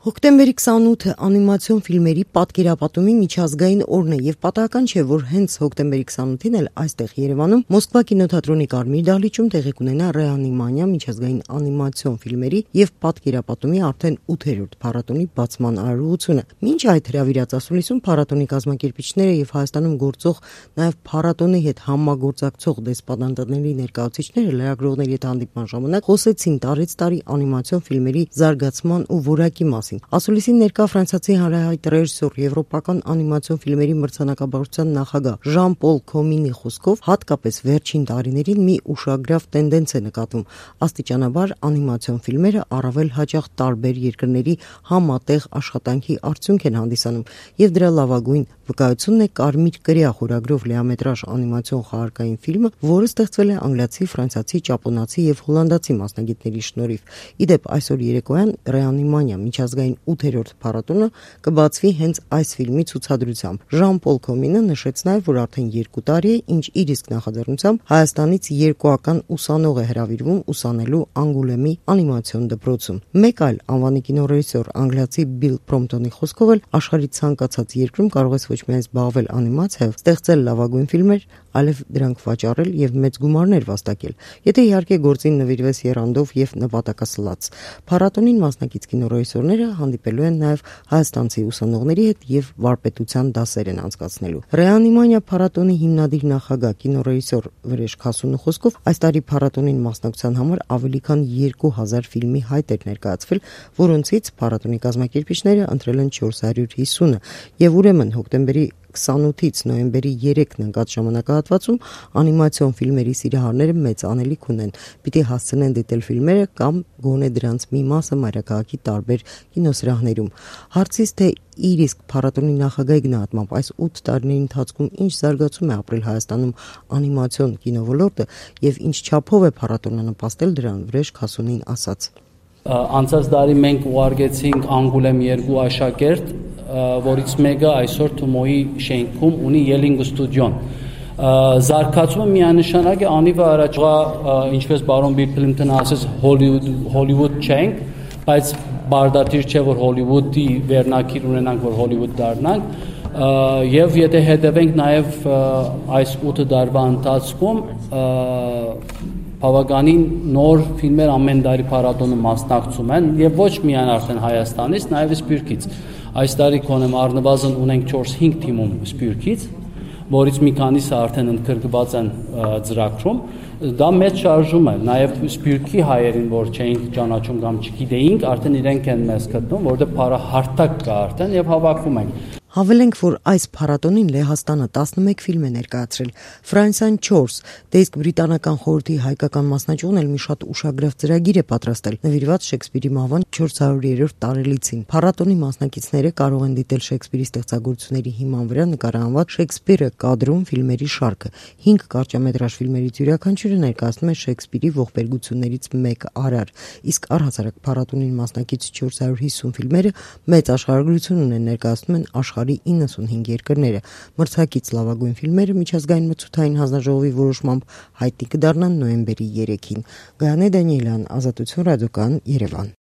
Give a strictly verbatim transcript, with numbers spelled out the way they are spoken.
Հոկտեմբերի քսանութը անիմացիոն ֆիլմերի պատկերապատումի միջազգային օրն է եւ պատահական չէ, որ հենց հոկտեմբերի քսանութին էլ այստեղ Երևանում Մոսկվա կինոթատրոնի Կարմիր դահլիճում տեղի կունենա Ռեանիմանիա միջազգային անիմացիոն ֆիլմերի եւ պատկերապատումի արդեն ութերորդ փառատոնի բացման արարողությունը։ Մինչ այդ հրավիրած ասուլիսում փառատոնի կազմակերպիչները եւ Հայաստանում գործող նաեւ փառատոնի հետ համագործակցող դեսպանատների ներկայացուցիչները լրագրողների հետ հանդիպման ժամանակ խոսեցին տարեց տարի անիմացիոն ֆիլմերի զարգացման ու որակի մասին։ Ասուլիսին ներկա ֆրանսիացի հանրահայտ ռեժիսոր, եվրոպական անիմացիոն ֆիլմերի մրցանակաբաշխության նախագահ Ժան-Պոլ Կոմինի խոսքով հատկապես վերջին տարիներին մի ուշագրավ տենդենց է նկատվում։ Աստիճանաբար անիմացիոն ֆիլմերը առավել հաճախ տարբեր երկրների համատեղ աշխատանքի արդյունք են հանդիսանում եւ դրա լավագույն վկայությունն է Կարմիր կրիա խորագրով լիամետրաժ անիմացիոն խաղարկային ֆիլմը, որը ստեղծվել է անգլիացի, ֆրանսիացի, ճապոնացի եւ հոլանդացի մասնագետների շնորհիվ։ Իդեպ այսօր երեկոյան Ռեանիմանիա միջազգային ութերորդ փառատոնը կբացվի հենց այս ֆիլմի ցուցադրությամբ։ Ժան-Պոլ Կոմինը նշեց նաև, որ արդեն երկու տարի է, ինչ իր իսկ նախաձեռնությամբ Հայաստանից երկուական ուսանող է հրավիրվում ուսանելու Անգուլեմի անիմացիոն դպրոցում։ Մեկ այլ անվանի կինոռեժիսոր անգլիացի Բիլ Պրոմպտոնի խոսքով էլ աշխարհի ցանկացած երկրում կարող ես ոչ միայն զբաղվել անիմացիայով, ստեղծել լավագույն ֆիլմեր, այլև դրանք վաճառել եւ մեծ գումարներ վաստակել, եթե իհարկե գործին նվիրվես եռանդով եւ նպատակասլաց։ Փառատոնին մասնակից կինոռեժիսորները հանդիպելու են նաև հայաստանցի ուսանողների հետ եւ վարպետության դասեր են անցկացնելու։ Ռեանիմանիա փառատոնի հիմնադիր նախագահ կինոռեժիսոր Վրեժ Քասունու խոսքով այս տարի փառատոնին մասնակցության համար ավելի քան երկու հազար ֆիլմի հայտ էր ներկայացվել, որոնցից փառատոնի կազմակերպիչները ընտրել են չորս հարյուր հիսունը եւ ուրեմն հոկտեմբերի քսանութից նոյեմբերի երեքն ընկած ժամանակահատվածում անիմացիոն ֆիլմերի սիրահարները մեծ անելիք ունեն։ Պիտի հասցնեն դիտել ֆիլմերը կամ գոնե դրանց մի մասը մայրաքաղաքի տարբեր կինոսրահներում։ Հարցից թե իր իսկ փառատոնի նախագահի գնահատմամբ այս ութ տարիների ընթացքում ինչ զարգացում է ապրել Հայաստանում անիմացիոն կինոլորտը եւ ինչ չափով է փառատոնը նպաստել դրան, Վրեժ Քասունին ասաց. Անցած տարի մենք ուղարկեցինք Անգուլեմ երկու աշակերտ, որից մեկը այսօր Թումոյի շենքում ունի Yelling ստուդիոն։ Զարգացումը միանշանակ է անիվը առաջվա, ինչպես բարոն Բիլ Պլիմպտոնը ասաց, Հոլիվուդ չենք, բայց բարդատիր չէ, որ Հոլիվուդի վերնակիր ունենանք, որ Հոլիվուդ դառնանք, եւ եթե հետևենք նաեւ այս ութ տարվա ընթացքում բավականին նոր ֆիլմեր ամեն տարի փառատոնում մասնակցում են եւ ոչ միայն արդեն Հայաստանից, նաեւ Սփյուռքից։ Այս տարի կոնեմ առնվազն ունենք չորս-հինգ թիմում Սփյուռքից, որից մի քանիսը արդեն ընդգրկված են ծրագրում։ Դա մեծ շարժում է, նաեւ Սփյուռքի հայերին, որ չէինք ճանաչում կամ չգիտեինք, արդեն իրենք են մեզ գտնում, որտեղ փառահարթակ կա արդեն եւ հավաքում ենք։ Հավելենք, որ այս փառատոնին Լեհաստանը տասնմեկ ֆիլմ է ներկայացրել, Ֆրանսիան չորս, դե իսկ բրիտանական խորհրդի հայկական մասնաճյուղն էլ մի շատ ուշագրավ ծրագիր է պատրաստել, նվիրված Շեքսպիրի մահվան չորս հարյուրերորդ տարելիցին։ Փառատոնի մասնակիցները կարող են դիտել Շեքսպիրի ստեղծագործությունների հիման վրա նկարահանված Շեքսպիրը կադրում ֆիլմերի շարքը։ հինգ կարճամետրաժ ֆիլմերից յուրաքանչյուրը ներկայացնում է Շեքսպիրի ողբերգություններից մեկ արար, իսկ առհասարակ փառատոնին մասնակից չորս հարյուր հիսուն ֆիլմերը մեծ աշխարհագրություն ունեն, ներկայացնում են աշխարհի իննսունհինգ երկրները։ Մրցակից լավագույն ֆիլմերը միջազգային մրցութային հանձնաժողովի որոշմամբ հայտնի կդառնան նոյեմբերի երեքին։ Գայանե Դանիելյան, Ազատություն ռադիոկայան, Երևան։